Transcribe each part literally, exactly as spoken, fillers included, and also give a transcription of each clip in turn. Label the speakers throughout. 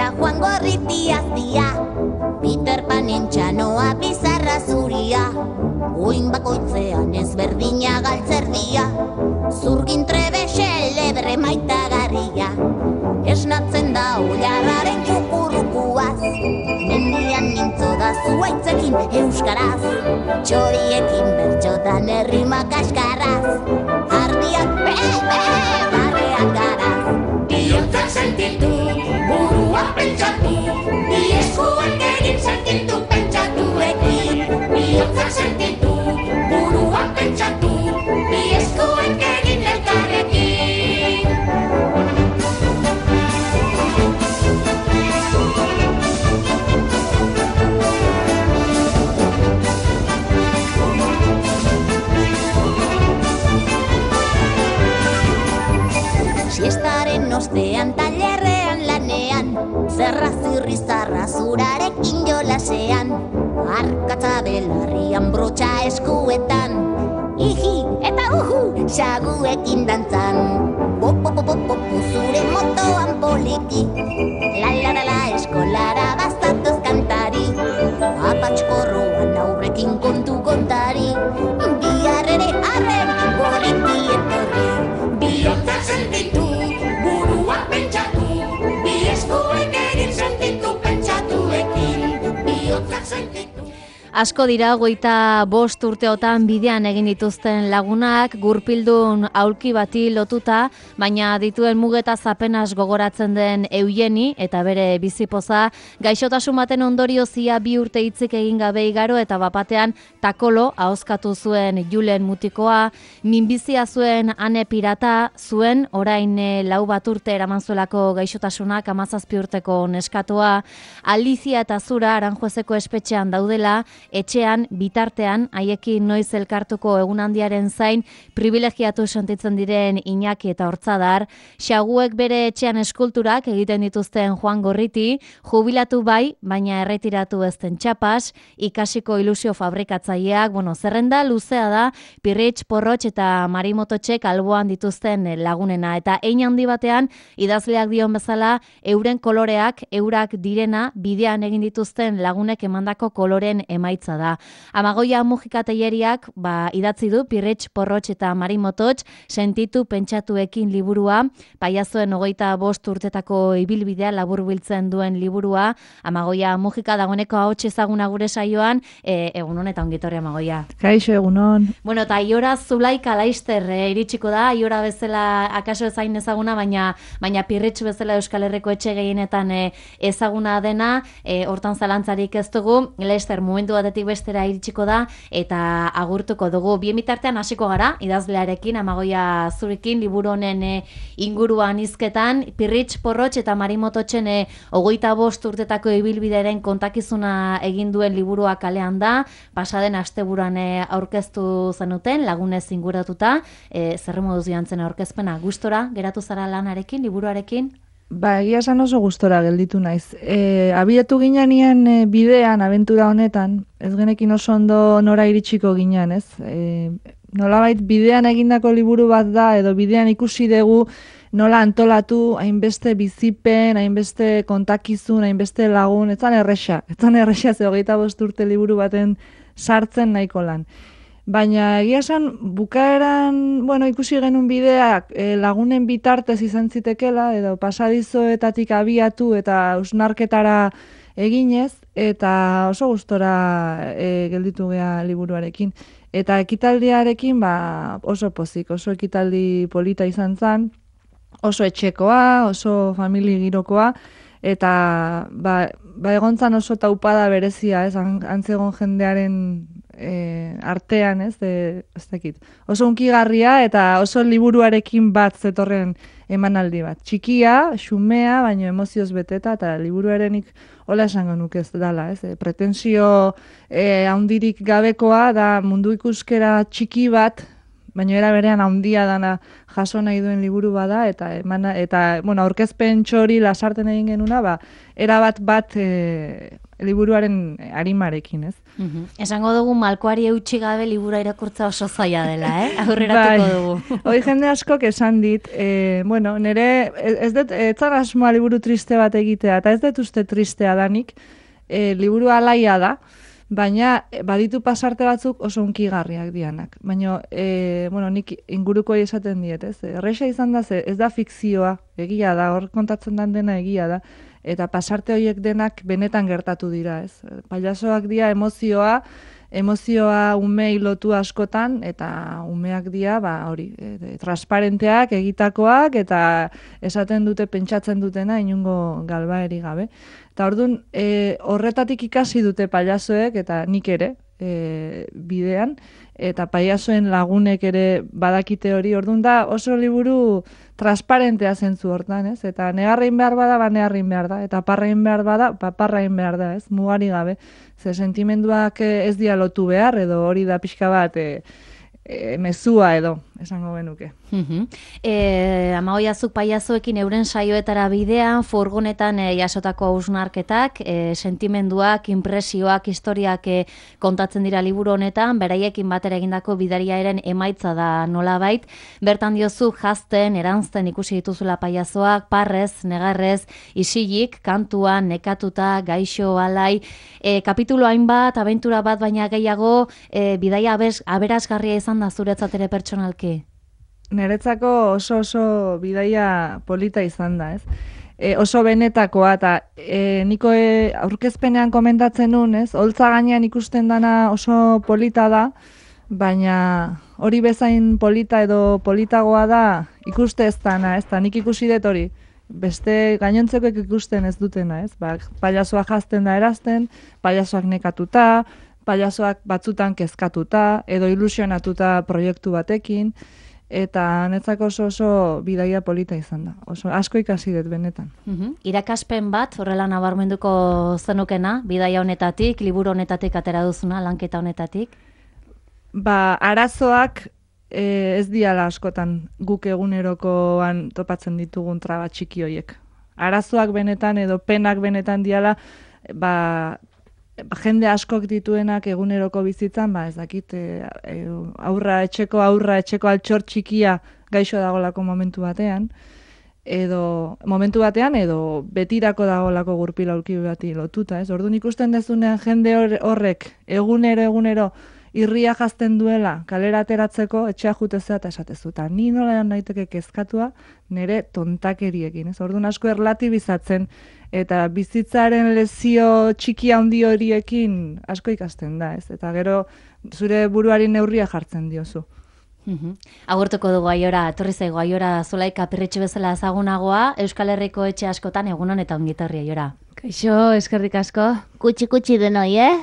Speaker 1: eta Juan Gorriti aztia, Peter Panen txanoa bizarra zuria, uin bakoitzean ezberdina galtzerdia, zurgin trebe xelebre maitagarria, esnatzen da oilarraren jukurukuaz, mendian nintzo da zuaitzekin euskaraz, txoriekin bertxotan errimak askarraz, ardiak be-be, barreak garaz. Bihotza sentitu, burua pentsatu, bi eskuak egin sentitu pentsatuekin. Bihotza sentitu, burua pentsatu, bi eskuak egin elkarrekin. Siestaren ostean tailerrean lanean, zerra zirri zarra zurarekin jolasean, arkatza belarrian brotxa eskuetan, iji eta uhu xaguekin dantzan, popo-popo-popo zure motoan poliki, la-la-la-la eskolara baztatuz kantari, apatxkorroan aurrekin kontu kontari, biarrere arren gorriti etorri, bihotza sentitu, burua pentsatu, bi eskuek egin sentitu pentsatuekin, bihotza sentitu.
Speaker 2: Asko dira hogeita bost urteotan bidean egin dituzten lagunak, gurpildun aulki bati lotuta, baina dituen mugetaz apenas gogoratzen den Eugeni eta bere bizipoza, gaixotasun baten ondoriozia bi urte hitzik egin gabe igaro eta bapatean takolo ahozkatu zuen Julen mutikoa, minbizia zuen Ane pirata, zuen orain lau bat urte eraman zuelako gaixotasunak hamazazpi urteko neskatoa, Alicia eta Zura Aranjuezeko espetxean daudela, etxean, bitartean, haiekin noiz elkartuko egunhandiaren zain, privilegiatu sentitzen diren Iñaki eta Hortzadar, xaguek bere etxean eskulturak egiten dituzten Juan Gorriti, jubilatu bai, baina erretiratu ezten txapas, ikasiko ilusio fabrikatzaileak, bueno, zerrenda luzea da, Pirritx, Porrotx eta Marimototxek alboan dituzten lagunena, eta ein handi batean, idazleak dion bezala, euren koloreak, eurak direna, bidean egin dituzten lagunek emandako koloren emaitza da. Amagoia Mujika Teileriak ba, idatzi du Pirritx, Porrotx eta Marimototx sentitu pentsatuekin liburua, paiazoen hogeita bost urtetako ibilbidea laburbiltzen duen liburua, Amagoia Mujika dagoeneko ahots ezaguna gure saioan, e, egun honetan ongitorri Amagoia.
Speaker 3: Kaixo, egunon.
Speaker 2: Bueno, eta Aiora Zulaika Laister e, iritsiko da, Aiora bezala akaso ezain ezaguna, baina baina Pirritx bezala Euskal Herriko etxe gehienetan e, ezaguna dena, e, hortan zalantzarik ez dugu, Laister momentu batetik bestera iritsiko da eta agurtuko dugu. Bien bitartean hasiko gara idazlearekin, Amagoia Zurekin, liburu honen e, inguruan hizketan, Pirritx, Porrotx eta Marimototxen e, hogeita bost urtetako ibilbideren kontakizuna egin duen liburua kalean da, pasaden asteburuan e, aurkeztu zenuten, lagunez inguratuta, e, zer moduz joantzen aurkezpena, gustora geratu zara lanarekin, liburuarekin?
Speaker 3: Ba, egia esan oso gustora gelditu naiz. E, abiatu ginean e, bidean, abentura honetan, ez genekin oso ondo nora iritsiko ginean, ez? E, nolabait bidean egindako liburu bat da, edo bidean ikusi dugu nola antolatu, hainbeste bizipen, hainbeste kontakizun, hainbeste lagun, etzan erresa, etzan erresa ze hogeita bost urte liburu baten sartzen nahiko lan. Baina egia esan, bukaeran, bueno, ikusi genuen bideak e, lagunen bitartez izan zitekela, edo pasadizoetatik abiatu eta usnarketara eginez, eta oso gustora e, gelditu gea liburuarekin. Eta ekitaldiarekin ba, oso pozik, oso ekitaldi polita izan zen, oso etxekoa, oso famili girokoa, eta ba, ba egontzan oso taupada berezia, ez, antzegon jendearen e, artean, ez, de, ez dakit. Oso unkigarria eta oso liburuarekin bat zetorren emanaldi bat. Txikia, xumea, baina emozioz beteta, eta liburuarenik hola esango nuke ez dala, ez, e, pretensio e, handirik gabekoa da mundu ikuskera txiki bat, baina era berean handia dana jaso nahi duen liburu bada, eta emana, eta bueno, aurkezpen txori lasarten egin genuna, ba, erabat bat e, liburuaren arimarekin, ez?
Speaker 2: Uhum. Esango dugu malkoari eutxi gabe libura irakurtza oso zaila dela, eh? Aurreratuko bai, dugu.
Speaker 3: Hoi jende askok esan dit, e, bueno, nire, ez dut, ez zara asmoa liburu triste bat egitea, eta ez dut uste tristea danik, e, liburu alaia da, baina baditu pasarte batzuk oso unkigarriak dianak. Baina, e, bueno, nik inguruko esaten diet, ez? Erresa izan da, ze, ez da fikzioa, egia da, hor kontatzen den dena egia da, eta pasarte horiek denak benetan gertatu dira, ez? Pailazoak dira emozioa, emozioa umei lotu askotan, eta umeak dira, ba, hori, e, transparenteak, egitakoak, eta esaten dute, pentsatzen dutena, inungo galbaeri gabe. Eta orduan, e, horretatik ikasi dute pailazoek, eta nik ere, e, bidean, eta pailazoen lagunek ere badakite hori, orduan da oso liburu transparentea zentzu hortan, ez? Eta negarrein behar bada, ba negarrein behar da, eta parrain behar bada, ba parrain behar da, ez? Mugari gabe. Ze sentimenduak ez dia lotu behar, edo hori da pixka bat e, e, mezua edo, esango genuke.
Speaker 2: Uh-huh. E, Amagoiazuk paiazoekin euren saioetara bidean, furgonetan e, jasotako hausnarketak, e, sentimenduak, impresioak, historiak e, kontatzen dira liburu honetan, beraiekin batera egindako bidariaren emaitza da nolabait. Bertan diozu jazten, eranzten ikusi dituzula paiazoak, parrez, negarrez, isilik, kantuan, nekatuta, gaixo, alai, e, kapitulo hainbat, abentura bat baina gehiago, e, bidaia abez, aberasgarria izan da zuretzat ere pertsonalki?
Speaker 3: Niretzako oso oso bidaia polita izan da, ez? E, oso benetakoa, eta e, niko e, aurkezpenean komentatzen nun, ez? Holtza gainean ikusten dana oso polita da, baina hori bezain polita edo politagoa da ikuste ez dana, ez da, nik ikusi dut hori. Beste gainontzekoek ikusten ez dutena, ez? Ba, pailazoak jazten da erazten, pailazoak nekatuta, pailazoak batzutan kezkatuta, edo ilusionatuta proiektu batekin, eta netzako oso oso bidaia polita izan da. Oso asko ikasi dut benetan.
Speaker 2: Uh-huh. Irakaspen bat, horrela nabarmenduko zenukena, bidaia honetatik, liburu honetatik atera duzuna, lanketa honetatik?
Speaker 3: Ba, arazoak e, ez diala askotan guk egunerokoan topatzen ditugun traba txiki hoiek. Arazoak benetan edo penak benetan diala, ba, jende askok dituenak eguneroko bizitzan, ba ez dakit, e, e, aurra etxeko aurra etxeko altxor txikia gaixo dagolako momentu batean, edo momentu batean edo betirako dagolako gurpil aulki bati lotuta, ez? Orduan ikusten dezunean jende horrek egunero egunero irria jazten duela kalera ateratzeko etxea jutezea eta esatezu, eta ni nola naiteke kezkatua nire tontakeriekin, ez? Orduan asko erlatibizatzen eta bizitzaren lezio txiki handi horiekin asko ikasten da, ez? Eta gero zure buruari neurria jartzen diozu.
Speaker 2: Uhum. Agurtuko dugu Aiora, etorri zaigu Aiora Zulaika pirritxe bezala ezagunagoa, Euskal Herriko etxe askotan egunon eta ongitorri Aiora.
Speaker 4: Kaixo, eskerrik asko.
Speaker 1: Kutsi-kutsi denoi, eh?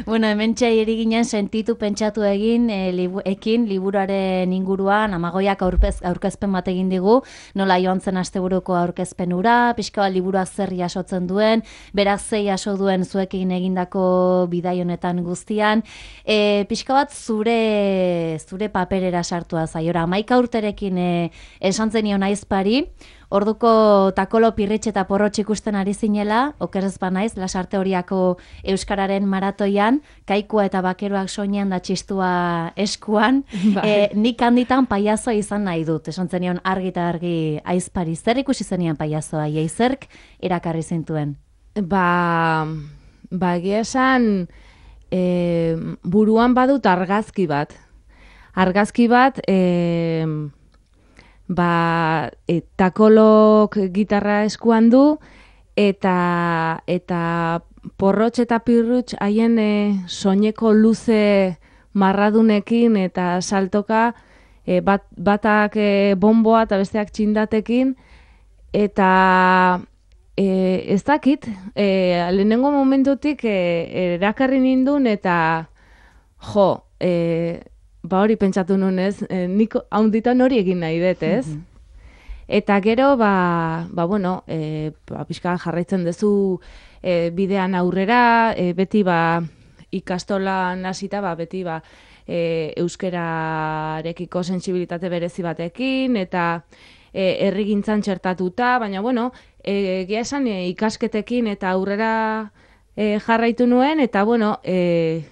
Speaker 2: Bueno, hemen txai ginen sentitu pentsatu egin e, libu, ekin liburuaren inguruan, Amagoiak aurpez, aurkezpen bat egin digu, nola joan zen asteburuko aurkezpen ura, pixka bat liburua zer jasotzen duen, berak zei jaso duen zuekin egindako bidai honetan guztian, e, pixka bat zure, zure paperera sartua Aiora, hamaika urterekin e, esan zenion aizpari, orduko takolo pirritxe eta porrotx ikusten ari zinela, okerez banaiz, Lasarte Horiako Euskararen maratoian, kaikua eta bakeroak soinean da txistua eskuan, e, nik handitan paiazoa izan nahi dut, esan zenion argi eta argi aizpari. Zer ikusi zenian paiazoa, jeizerk erakarri zintuen?
Speaker 4: Ba, ba egia esan, e, buruan badut argazki bat. Argazki bat, e, ba, e, takolok gitarra eskuan du, eta eta porrotx eta pirrutx haien e, soineko luze marradunekin eta saltoka e, bat, batak e, bomboa eta besteak txindatekin, eta e, ez dakit, e, lehenengo momentutik e, erakarri nindun eta jo, e, ba hori pentsatu nunez, e, nik haunditan hori egin nahi dut, ez? Mm-hmm. Eta gero, ba, ba bueno, e, ba, pixka jarraitzen duzu e, bidean aurrera, e, beti ba, ikastolan hasita, ba, beti ba, e, euskerarekiko sentsibilitate berezi batekin, eta e, herrigintzan txertatuta, baina bueno, e, egia esan e, ikasketekin eta aurrera e, jarraitu nuen, eta bueno, e,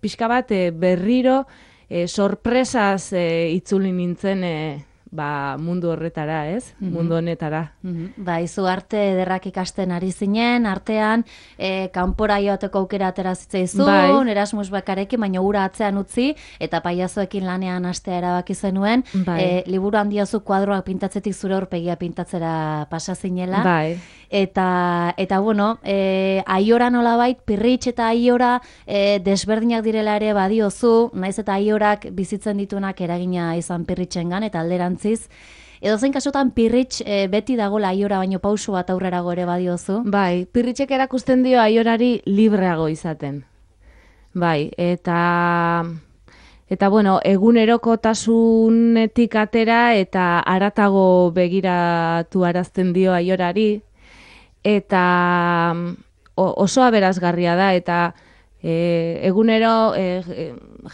Speaker 4: pixka bat e, berriro e, sorpresaz e, itzuli nintzen e, ba, mundu horretara, ez? Mm-hmm. Mundu honetara.
Speaker 2: Mm-hmm. Ba, izu arte ederrak ikasten ari zinen, artean, e, kanpora joateko aukera atera zitzaizun, bai. Erasmus bakarekin, baina ura atzean utzi, eta paiazoekin lanean hastea erabaki zenuen, bai. e, liburu handiozu kuadroak pintatzetik zure aurpegia pintatzera pasa zinela.
Speaker 4: Bai.
Speaker 2: Eta, eta bueno, e, aiora nolabait, pirritx eta aiora e, desberdinak direla ere badiozu, naiz eta aiorak bizitzen ditunak eragina izan pirritxengan, eta alderantziz. Edo zen kasutan pirritx e, beti dagoela aiora baino pausu bat aurrerago ere badiozu.
Speaker 4: Bai, pirritxek erakusten dio aiorari libreago izaten. Bai, eta... Eta, bueno, egunerokotasunetik atera eta haratago begiratu arazten dio aiorari, eta oso aberasgarria da, eta e, egunero e,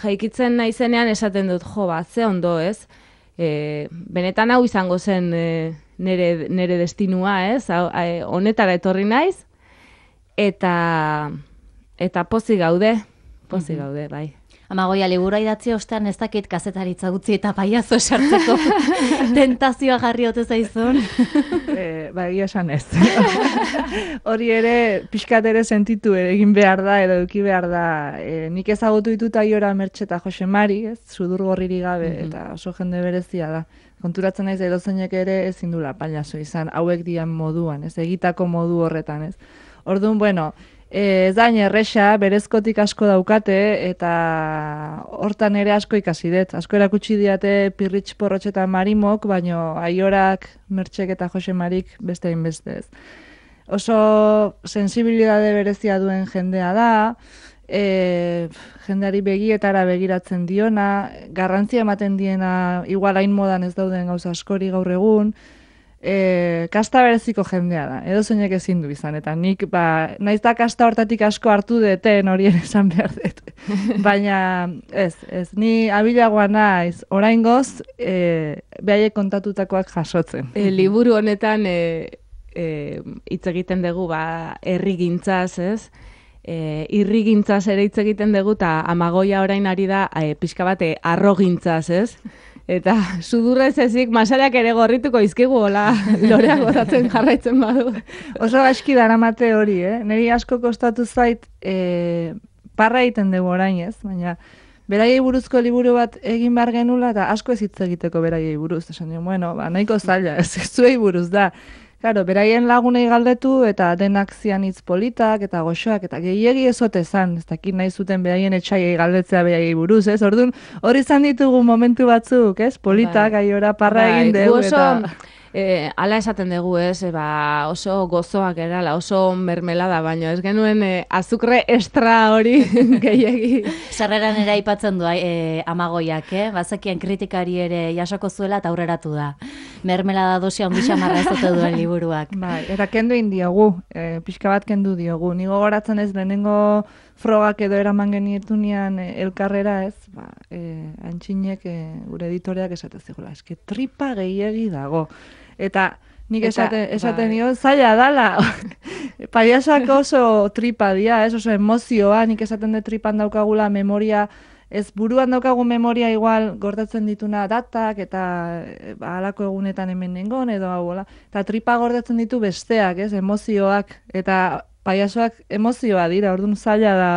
Speaker 4: jaikitzen naizenean esaten dut, jo, ba, ze ondo, ez? E, benetan hau izango zen e, nere, nere destinua, ez? Hau, e, honetara etorri naiz, eta, eta pozik gaude, pozik mm-hmm. gaude, bai.
Speaker 2: Amagoia, libura idatzi ostean ez dakit kazetaritza gutzi eta paiazo sartzeko tentazioa jarri ote zaizun.
Speaker 3: e, ba, egia esan ez. Hori ere, pixkat ere sentitu egin behar da, edo eduki behar da. E, nik ezagutu ditut Aiora Mertxe eta Jose Mari, ez, sudur gorriri gabe, mm-hmm. eta oso jende berezia da. Konturatzen naiz edozeinek ere ezin dula paiazo izan, hauek dian moduan, ez, egitako modu horretan, ez. Orduan, bueno, ez da erresa, berezkotik asko daukate, eta hortan ere asko ikasi dut. Asko erakutsi diate Pirritx, Porrotx eta Marimok, baino Aiorak, Mertxek eta Jose Marik beste hainbeste ez. Oso sensibilidade berezia duen jendea da, e, jendeari begietara begiratzen diona, garrantzia ematen diena, igual hain modan ez dauden gauza askori gaur egun, E, kasta bereziko jendea da, edo zeinek ezin du izan, eta nik, ba, naiz da kasta hortatik asko hartu deten horien esan behar dut. Baina, ez, ez, ni abilagoa naiz, oraingoz, e, behaiek kontatutakoak jasotzen.
Speaker 4: E, liburu honetan, e, e, hitz egiten dugu, ba, herrigintzaz, ez? E, irrigintzaz ere hitz egiten dugu, eta Amagoia orain ari da, e, pixka bate, arrogintzaz, ez? Eta sudurrez ezik masariak ere gorrituko izkigu, hola, loreak gozatzen jarraitzen badu.
Speaker 3: Oso aski daramate hori, eh? Neri asko kostatu zait, e, parra egiten dugu orain ez, baina beraiei buruzko liburu bat egin behar genula, eta asko ez hitz egiteko beraiei buruz. Esan dien, bueno, ba, nahiko zaila, ez zuei buruz da. Claro, beraien lagunei galdetu, eta denak zian hitz politak, eta goxoak, eta gehiegi ezote zan, ez dakit nahi zuten beraien etxaiei galdetzea beraiei buruz, ez? Orduan, hori izan ditugu momentu batzuk, ez? Politak, bai. Aiora parra bai. Egin dugu, eta...
Speaker 4: E, ala esaten dugu, ez, e, ba, oso gozoak erala, oso mermelada, baino ez genuen e, azukre estra hori gehiegi.
Speaker 2: Sarreran ere aipatzen du e, Amagoiak, eh? Bazekien kritikari ere jasoko zuela eta aurreratu da. Mermelada dosia ondi xamarra ez dute duen liburuak.
Speaker 3: Bai, eta kendu indiogu, e, pixka bat kendu diogu. Nigo goratzen ez lehenengo frogak edo eraman genietunean e, elkarrera ez, ba, e, antxinek e, gure editoreak esate zigula, eske tripa gehiegi dago. Eta nik esaten, esaten bai. Nio, zaila dala, paiasak oso tripa dia, ez, oso emozioa, nik esaten de tripan daukagula memoria, ez buruan daukagu memoria igual gordetzen dituna datak, eta ba, halako egunetan hemen nengon, edo hau, eta tripa gordetzen ditu besteak, ez, emozioak, eta paiasoak emozioa dira, orduan zaila da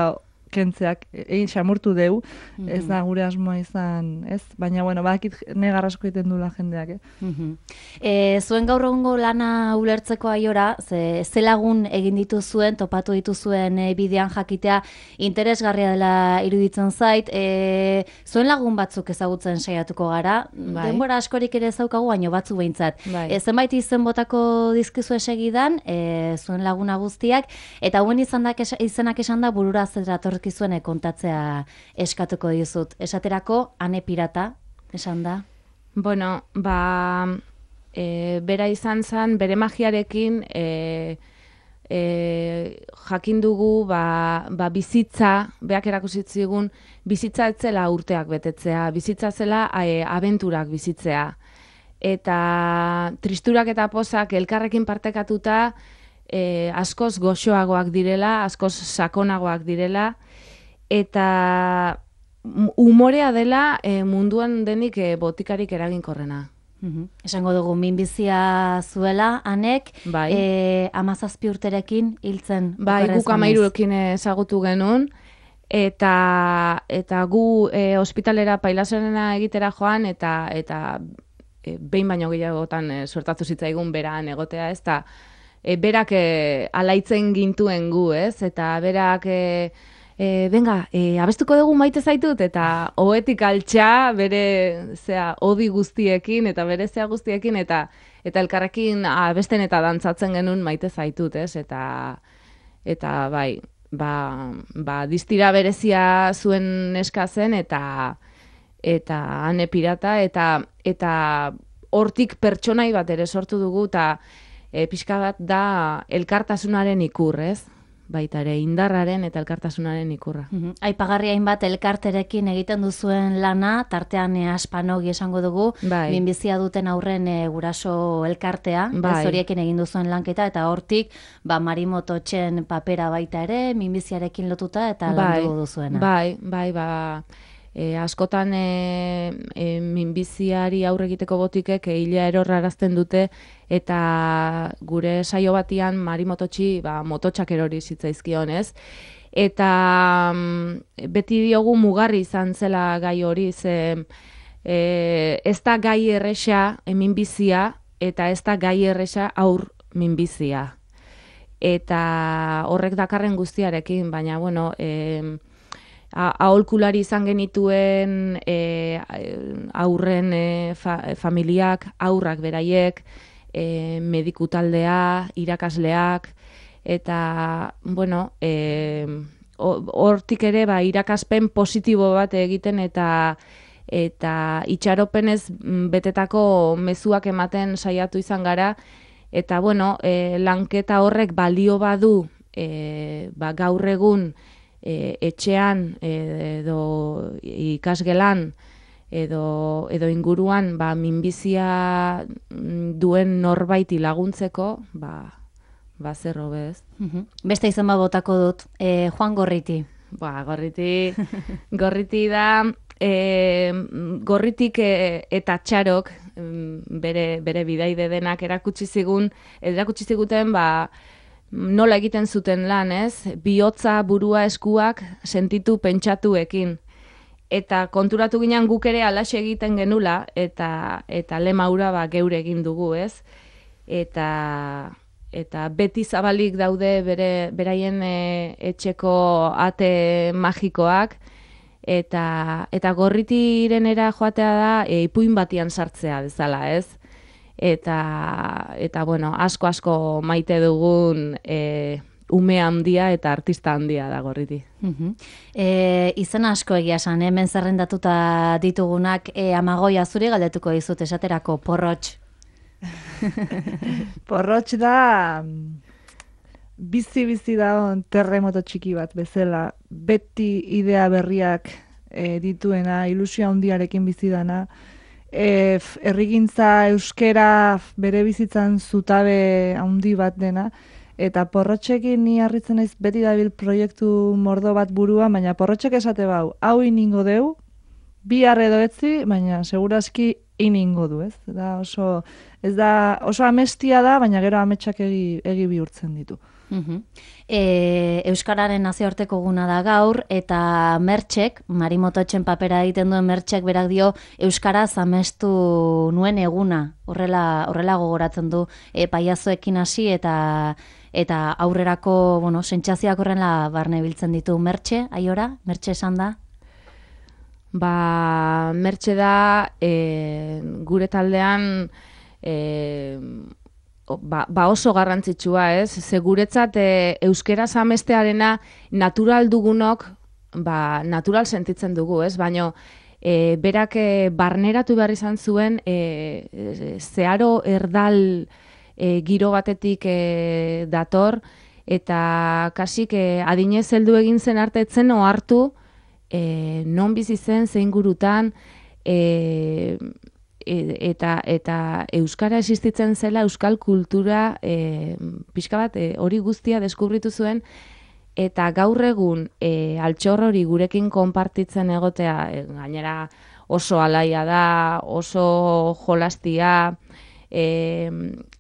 Speaker 3: kentzeak, egin xamurtu deu, mm-hmm. ez da gure asmoa izan, ez? Baina, bueno, bakit negarrasko egiten dula jendeak, eh?
Speaker 2: Mm-hmm. E, zuen gaur egungo lana ulertzeko Aiora, ze, ze lagun egin dituzuen, topatu dituzuen e, bidean jakitea, interesgarria dela iruditzen zait, e, zuen lagun batzuk ezagutzen saiatuko gara, bai. Denbora askorik ere ezaukagu, baino batzu behintzat. Bai. E, zenbait izen botako dizkizu segidan, e, zuen laguna guztiak, eta hauen izenak esan da burura zerator kizuen kontatzea eskatuko dizut. Esaterako, Ane Pirata, esan da?
Speaker 4: Bueno, ba, e, bera izan zen, bere magiarekin, e, e, jakin dugu ba, ba bizitza, beak erakusitzigun, bizitza etzela urteak betetzea, bizitza zela e, abenturak bizitzea. Eta tristurak eta pozak elkarrekin partekatuta e, askoz goxoagoak direla, askoz sakonagoak direla, eta umorea dela e, munduan denik e, botikarik eraginkorrena.
Speaker 2: Uhum. Esango dugu, minbizia zuela, anek,
Speaker 4: Bai.
Speaker 2: e, amazazpi urterekin hiltzen.
Speaker 4: Bai, guk amairuekin ezagutu genuen, eta eta gu e, ospitalera pailaserena egitera joan, eta eta e, behin baino gehiagotan e, suertatu zitzaigun beran egotea, ez da, e, berak e, alaitzen gintuen gu, ez, eta berak... E, E, benga, e, abestuko dugu maite zaitut, eta ohetik altxa bere zea, odi guztiekin, eta bere zea guztiekin, eta eta elkarrekin abesten eta dantzatzen genuen maite zaitut, ez? Eta, eta bai, ba, ba, distira berezia zuen neska zen, eta eta ane pirata, eta eta hortik pertsonai bat ere sortu dugu, eta e, pixka bat da elkartasunaren ikur, ez? Baita ere indarraren eta elkartasunaren ikurra.
Speaker 2: Uhum. Aipagarri hainbat elkarterekin egiten duzuen lana, tartean e, aspanogi esango dugu,
Speaker 4: bai.
Speaker 2: minbizia duten aurren e, guraso elkartea,
Speaker 4: bai.
Speaker 2: zoriekin egin duzuen lanketa, eta hortik ba, Marimototxen papera baita ere, minbiziarekin lotuta eta
Speaker 4: bai.
Speaker 2: landu duzuena.
Speaker 4: Bai, bai, ba... E, askotan e, e, minbiziari aurre egiteko botikek e, hila erorrarazten dute, eta gure saio batian Marimototxi ba, mototxak erori zitzaizkion, ez? Eta mm, beti diogu mugarri izan zela gai hori, ze e, ez da gai erresa e, minbizia, eta ez da gai erresa aur minbizia. Eta horrek dakarren guztiarekin, baina, bueno... E, aholkulari izan genituen e, aurren e, fa, familiak, aurrak beraiek, e, mediku taldea, irakasleak, eta, bueno, e, hortik ere ba, irakaspen positibo bat egiten eta eta itxaropenez betetako mezuak ematen saiatu izan gara, eta, bueno, e, lanketa horrek balio badu e, ba, gaur egun E, etxean edo ikasgelan edo, edo inguruan ba, minbizia duen norbaiti laguntzeko, ba, ba zer hobe, ez.
Speaker 2: Uhum. Beste izan bat botako dut, e, Juan Gorriti.
Speaker 4: Ba, gorriti, gorriti da, e, gorritik e, eta txarok bere, bere bidaide denak erakutsi zigun, erakutsi ziguten, ba, nola egiten zuten lan, ez? Bihotza, burua, eskuak sentitu pentsatuekin. Eta konturatu ginen guk ere alaxe egiten genula, eta eta lemaura ba, geure egin dugu, ez? Eta, eta beti zabalik daude bere, beraien e, etxeko ate magikoak, eta, eta gorritirenera joatea da e, ipuin batian sartzea bezala, ez? Eta, eta bueno, asko asko maite dugun e, ume handia eta artista handia da Gorriti.
Speaker 2: Uhum. E, izan asko egia esan, hemen zerrendatuta ditugunak, e, Amagoia zuri galdetuko dizut esaterako Porrotx.
Speaker 3: Porrotx da bizi-bizi da terremoto txiki bat bezala, beti idea berriak e, dituena, ilusio handiarekin bizi dana, E, errigintza euskera bere bizitzan zutabe handi bat dena, eta Porrotxekin ni harritzen naiz beti dabil proiektu mordo bat buruan, baina Porrotxek esate bau, hau iningo deu, bihar edo etzi, baina segurazki iningo du, ez? Da oso, ez da, oso amestia da, baina gero ametsak egi, egi bihurtzen ditu.
Speaker 2: Uhum. E, Euskararen nazioarteko guna da gaur, eta Mertxek, Marimototxen papera egiten duen Mertxek berak dio Euskaraz amestu nuen eguna, horrela, horrela gogoratzen du e, paiazoekin hasi eta eta aurrerako, bueno, sentsazioak horrela barne biltzen ditu. Mertxe, aiora? Mertxe esan da?
Speaker 4: Ba, Mertxe da e, gure taldean e, Ba, ba oso garrantzitsua, ez? Ze guretzat e, euskeraz amestearena natural dugunok, ba, natural sentitzen dugu, ez? Baina e, berak e, barneratu behar izan zuen e, e, zeharo erdal e, giro batetik e, dator, eta kasik e, adinez heldu egin zen arte etzen ohartu e, non bizi zen, zein gurutan, e, eta eta euskara existitzen zela, euskal kultura e, pixka bat e, hori guztia deskubritu zuen, eta gaur egun e, altxor hori gurekin konpartitzen egotea, e, gainera oso alaia da, oso jolastia, e,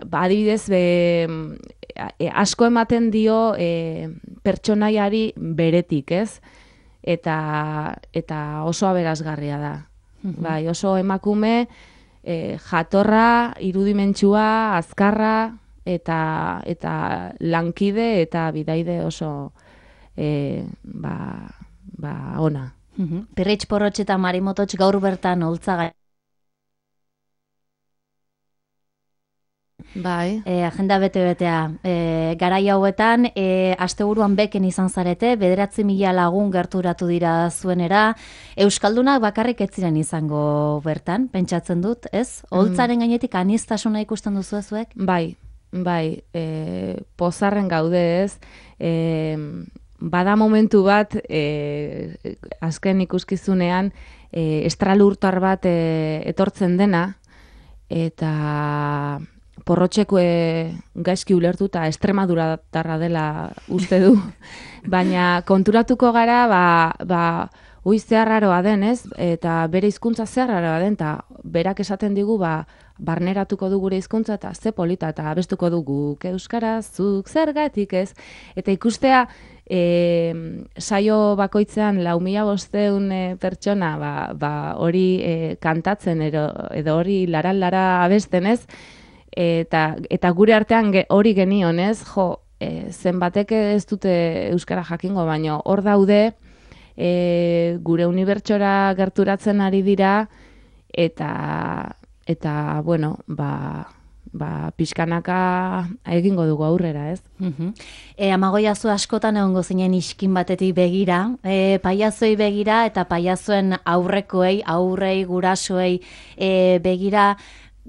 Speaker 4: ba, adibidez be, e, asko ematen dio e, pertsonaiari beretik, ez? Eta, eta oso aberasgarria da. Mm-hmm. Bai, oso emakume, e, jatorra, irudimentsua, azkarra, eta, eta lankide eta bidaide oso e, ba, ba, ona.
Speaker 2: Mm-hmm. Pirritx Porrotx eta Marimototx gaur bertan Oltzaga.
Speaker 4: Bai.
Speaker 2: E, agenda bete-betea. E, garai hauetan, e, asteburuan beken izan zarete, bederatzi mila lagun gerturatu dira zuenera. Euskaldunak bakarrik ez ziren izango bertan, pentsatzen dut, ez? Oltzaren gainetik aniztasuna ikusten duzu zuek?
Speaker 4: Bai, bai. E, pozarren gaude, ez? E, bada momentu bat, e, azken ikuskizunean, e, estralurtar bat e, etortzen dena, eta Porrotxeko gaizki ulertuta Extremaduratarra dela uste du, baina konturatuko gara, ba, ba, ui zeharraroa den, ez? Eta bere hizkuntza zeharraroa den, eta berak esaten digu, ba, barneratuko du gure hizkuntza eta ze polita, eta abestuko dugu euskaraz, zuk zergatik, ez? Eta ikustea, e, saio bakoitzean lau mila bosteun e, pertsona, ba, ba, hori e, kantatzen edo, edo hori laran-lara abesten, ez? Eta, eta gure artean ge, hori genion, ez? Jo, e, zenbatek ez dute euskara jakingo, baino hor daude, e, gure unibertsora gerturatzen ari dira, eta, eta bueno, ba, ba, pixkanaka egingo dugu aurrera, ez?
Speaker 2: Uh-huh. E, Amagoiazu askotan egongo zinen iskin batetik begira, e, paiazoi begira eta paiazoen aurrekoei, aurrei, gurasoei e, begira,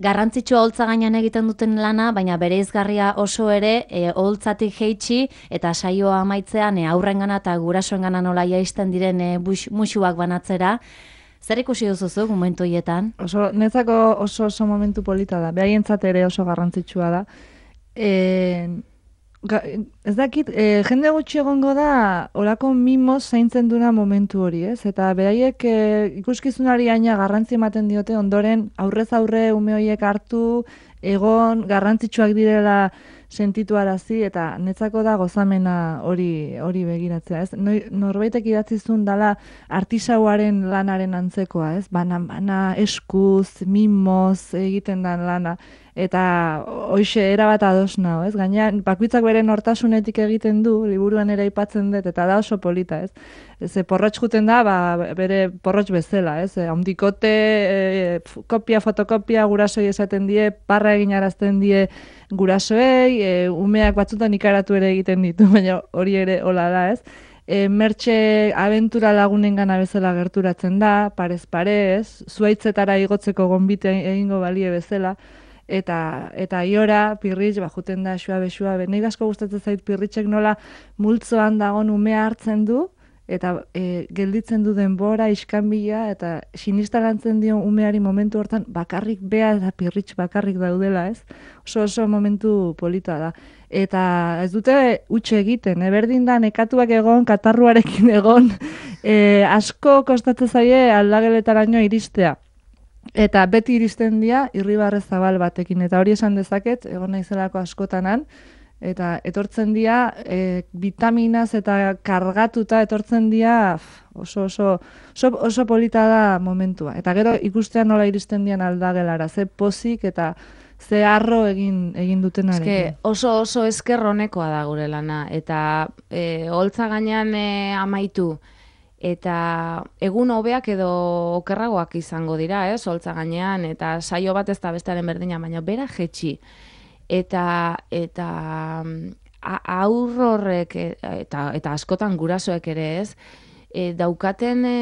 Speaker 2: garrantzitsua holtza gainean egiten duten lana, baina bereizgarria oso ere e, holtzatik jeitsi eta saioa amaitzean e, aurrengana eta gurasoengana nola jaisten diren e, bus, musuak banatzera. Zer ikusi duzuzu momentu hietan?
Speaker 3: Oso, netzako oso oso momentu polita da, behaientzat ere oso garrantzitsua da. E, ga, ez dakit, e, jende gutxi egongo da olako mimoz zaintzen duna momentu hori, ez? Eta beraiek e, ikuskizunari aina garrantzi ematen diote, ondoren aurrez aurre ume horiek hartu, egon, garrantzitsuak direla sentitu arazi, eta netzako da gozamena hori hori begiratzea, ez? Norbaitek idatzizun dala artisauaren lanaren antzekoa, ez? Bana-bana, eskuz, mimoz egiten dan lana, eta hoxe erabat ados nao, ez? Gaina, bakoitzak bere nortasunetik egiten du, liburuan ere aipatzen dut, eta da oso polita, ez? Ez, porrotx juten da, ba, bere porrotx bezala, ez? Handikote, e, kopia, fotokopia, gurasoi esaten die, parra egin arazten die gurasoei, e, umeak batzutan ikaratu ere egiten ditu, baina hori ere hola da, ez? E, mertxe abentura lagunen gana bezala gerturatzen da, parez parez, zuaitzetara igotzeko gonbite egingo balie bezala, eta eta iora, Pirritx, ba, juten da suabe suabe. Nei asko gustatzen zait Pirritxek nola multzoan dagon umea hartzen du, eta e, gelditzen du denbora, iskanbila, eta sinistalantzen dio umeari momentu hortan bakarrik bea eta Pirritx bakarrik daudela, ez? Oso oso momentu polita da. Eta ez dute utxe egiten, eh? Berdin da nekatuak egon, katarruarekin egon, e, asko kostatzen zaie aldageletaraino iristea. Eta beti iristen dira irribarre zabal batekin, eta hori esan dezaket, egon naizelako askotanan, eta etortzen dira e, vitaminaz eta kargatuta etortzen dira oso, oso, oso, oso polita da momentua. Eta gero ikustean nola iristen dian aldagelara, ze pozik eta ze harro egin, egin dutenarekin.
Speaker 4: Eske oso oso esker honekoa da gure lana, eta e, holtza gainean e, amaitu, eta egun hobeak edo okerragoak izango dira, ez, holtza gainean, eta saio bat ez da bestearen berdina, baina bera jetxi. Eta eta aur horrek eta, eta askotan gurasoek ere, ez, e, daukaten e,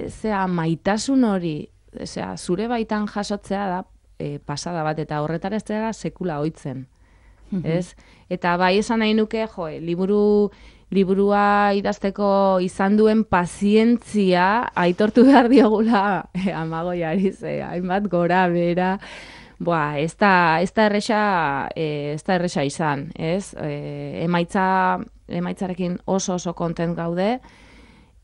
Speaker 4: zea, maitasun hori, zea, zure baitan jasotzea da e, pasada bat, eta horretara ez dira sekula ohitzen. ez? Eta bai esan nahi nuke, jo, liburu liburua idazteko izan duen pazientzia aitortu behar diogula eh, Amagoiari, ze hainbat gora bera, boa, ez da, ez da erresa, eh, ez da erresa izan, ez? Eh, emaitza, emaitzarekin oso oso kontent gaude,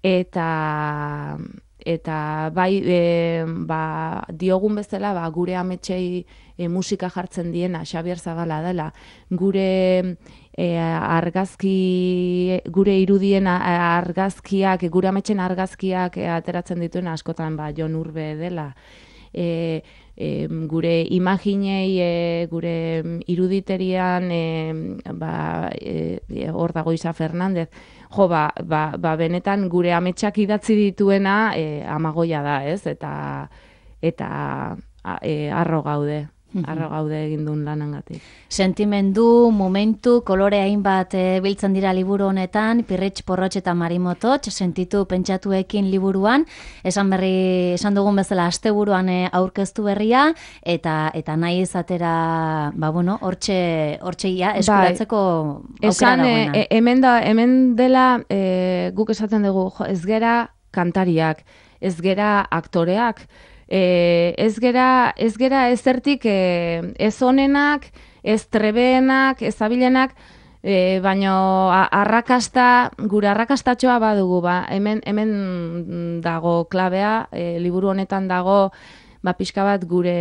Speaker 4: eta eta bai e, ba, diogun bezala ba, gure ametsei e, musika jartzen diena Xabier Zabala dela, gure e, argazki, gure irudien argazkiak, gure ametsen argazkiak e, ateratzen dituen askotan ba, Jon Urbe dela, e, e, gure imaginei, e, gure iruditerian e, ba, e, hor dago Isa Fernandez, jo, ba, ba, ba benetan gure ametsak idatzi dituena e, Amagoia da, ez? Eta, eta e, arro gaude. Arro gaude egin duen lanangatik.
Speaker 2: Sentimendu, momentu, kolore hainbat e, biltzen dira liburu honetan, Pirritx, Porrotx eta Marimotots, sentitu pentsatuekin liburuan, esan berri, esan dugun bezala asteburuan e, aurkeztu berria, eta eta nahi izatera, ba bueno, hortxe, hortxe ia, eskuratzeko aukera
Speaker 4: esan,
Speaker 2: dagoena.
Speaker 4: E, hemen, da, hemen dela e, guk esaten dugu, jo, ez gera kantariak, ez gera aktoreak, E, ez gera, ez gera ezertik e, ez onenak, ez trebeenak, ez abilenak, e, baino a, arrakasta, gure arrakastatxoa badugu, ba, hemen, hemen dago klabea, e, liburu honetan dago, ba, pixka bat gure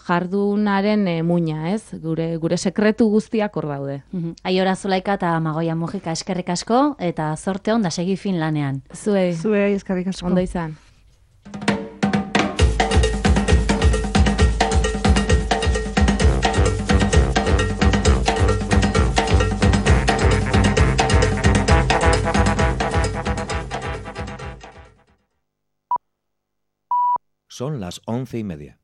Speaker 4: jardunaren e, muina, ez? Gure, gure sekretu guztiak hor daude.
Speaker 2: Mhm. Aiora Zulaika eta Amagoia Mujika eskerrik asko, eta zorte on da segi fin lanean.
Speaker 4: Zuei,
Speaker 3: Zuei, eskerrik asko.
Speaker 4: ondo izan.
Speaker 5: Son las once y media.